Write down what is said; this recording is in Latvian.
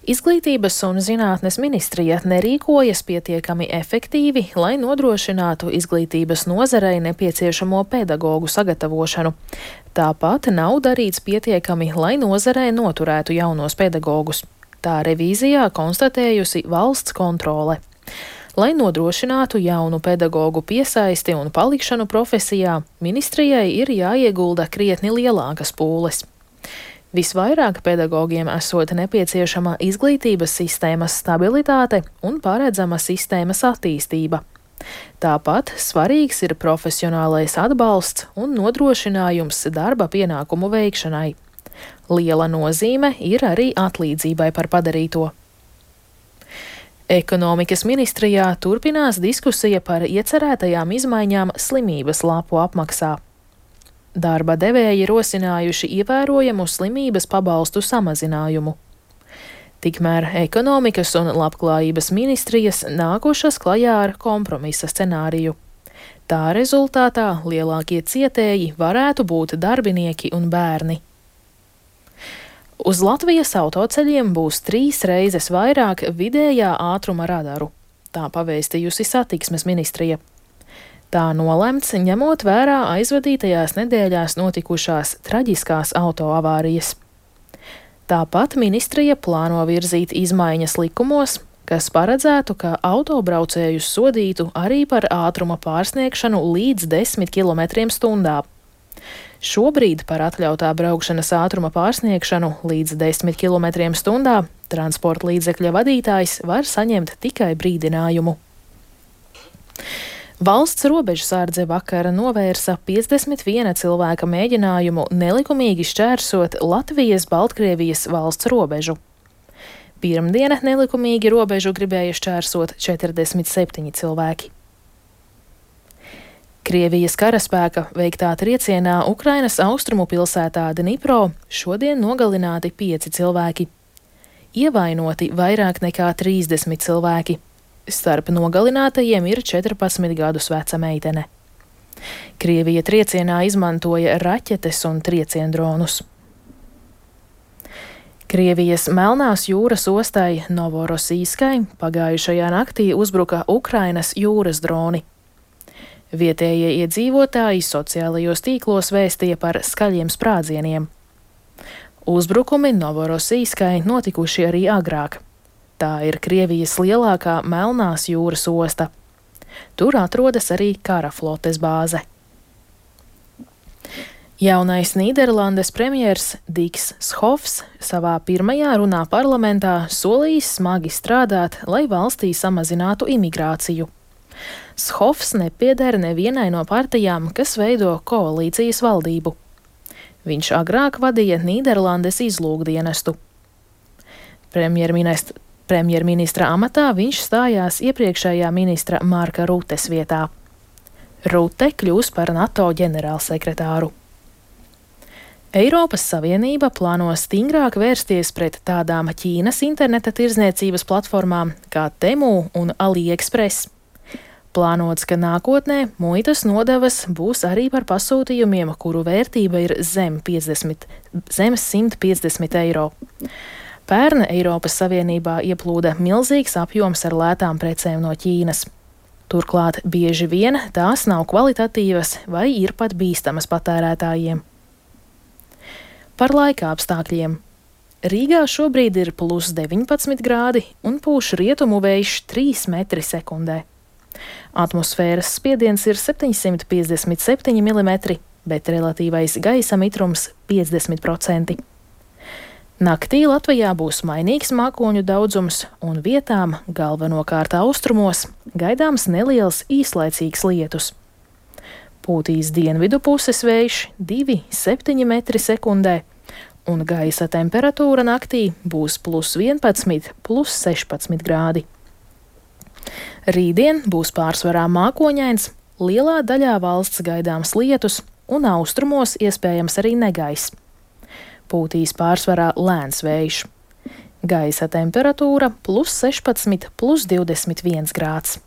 Izglītības un zinātnes ministrija nerīkojas pietiekami efektīvi, lai nodrošinātu izglītības nozarei nepieciešamo pedagoģu sagatavošanu. Tāpat nav darīts pietiekami, lai nozarei noturētu jaunos pedagogus. Tā revīzijā konstatējusi valsts kontrole. Lai nodrošinātu jaunu pedagoģu piesaisti un palikšanu profesijā, ministrijai ir jāiegulda krietni lielākas pūles. Visvairāk pedagogiem esot nepieciešama izglītības sistēmas stabilitāte un paredzama sistēmas attīstība. Tāpat svarīgs ir profesionālais atbalsts un nodrošinājums darba pienākumu veikšanai. Liela nozīme ir arī atlīdzībai par padarīto. Ekonomikas ministrijā turpinās diskusija par iecerētajām izmaiņām slimības lapu apmaksā. Darba devēji rosinājuši ievērojamu slimības pabalstu samazinājumu. Tikmēr ekonomikas un labklājības ministrijas nākušas klajā ar kompromisa scenāriju. Tā rezultātā lielākie cietēji varētu būt darbinieki un bērni. Uz Latvijas autoceļiem būs 3 reizes vairāk vidējā ātruma radaru. Tā pavēstījusi satiksmes ministrija. Tā nolemts, ņemot vērā aizvadītajās nedēļās notikušās traģiskās autoavārijas. Tāpat ministrija plāno virzīt izmaiņas likumos, kas paredzētu, ka autobraucējus sodītu arī par ātruma pārsniegšanu līdz 10 km/h. Šobrīd par atļautā braukšanas ātruma pārsniegšanu līdz 10 km/h transporta līdzekļa vadītājs var saņemt tikai brīdinājumu. Valsts robežsardze vakar novērsa 51 cilvēka mēģinājumu nelikumīgi šķērsot Latvijas-Baltkrievijas valsts robežu. Pirmdiena nelikumīgi robežu gribēja šķērsot 47 cilvēki. Krievijas karaspēka veiktā triecienā Ukrainas austrumu pilsētā Dnipro šodien nogalināti 5 cilvēki. Ievainoti vairāk nekā 30 cilvēki. Starp nogalinātajiem ir 14 gadus veca meitene. Krievija triecienā izmantoja raķetes un trieciendronus. Krievijas Melnās jūras ostai Novorosijskai pagājušajā naktī uzbruka Ukrainas jūras droni. Vietējie iedzīvotāji sociālajos tīklos vēstīja par skaļiem sprādzieniem. Uzbrukumi Novorosijskai notikuši arī agrāk. Tā ir Krievijas lielākā Melnās jūras osta. Tur atrodas arī kara flotes bāze. Jaunais Nīderlandes premjers Diks Schofs savā pirmajā runā parlamentā solījis smagi strādāt, lai valstī samazinātu imigrāciju. Schofs nepieder nevienai no partijām, kas veido koalīcijas valdību. Viņš agrāk vadīja Nīderlandes izlūkdienestu. Premjerministra amatā viņš stājās iepriekšējā ministra Marka Rutes vietā. Rute kļūs par NATO ģenerālsekretāru. Eiropas Savienība plāno stingrāk vērsties pret tādām Ķīnas interneta tirdzniecības platformām kā Temu un AliExpress. Plānots, ka nākotnē muitas nodevas būs arī par pasūtījumiem, kuru vērtība ir zem 150 eiro. Pērn Eiropas Savienībā ieplūda milzīgs apjoms ar lētām precēm no Ķīnas. Turklāt bieži vien tās nav kvalitatīvas vai ir pat bīstamas patērētājiem. Par laika apstākļiem. Rīgā šobrīd ir +19 grādi un pūš rietumu vējš 3 m/s. Atmosfēras spiediens ir 757 mm, bet relatīvais gaisa mitrums 50%. Naktī Latvijā būs mainīgs mākoņu daudzums un vietām, galvenokārt austrumos, gaidāms neliels īslaicīgs lietus. Pūtīs dienvidu puses vējš 2,7 m/s, un gaisa temperatūra naktī būs +11, +16 grādi. Rītdien būs pārsvarā mākoņains, lielā daļā valsts gaidāms lietus un austrumos iespējams arī negaiss. Pūtīs pārsvarā lēns vējš. Gaisa temperatūra +16, +21 grāds.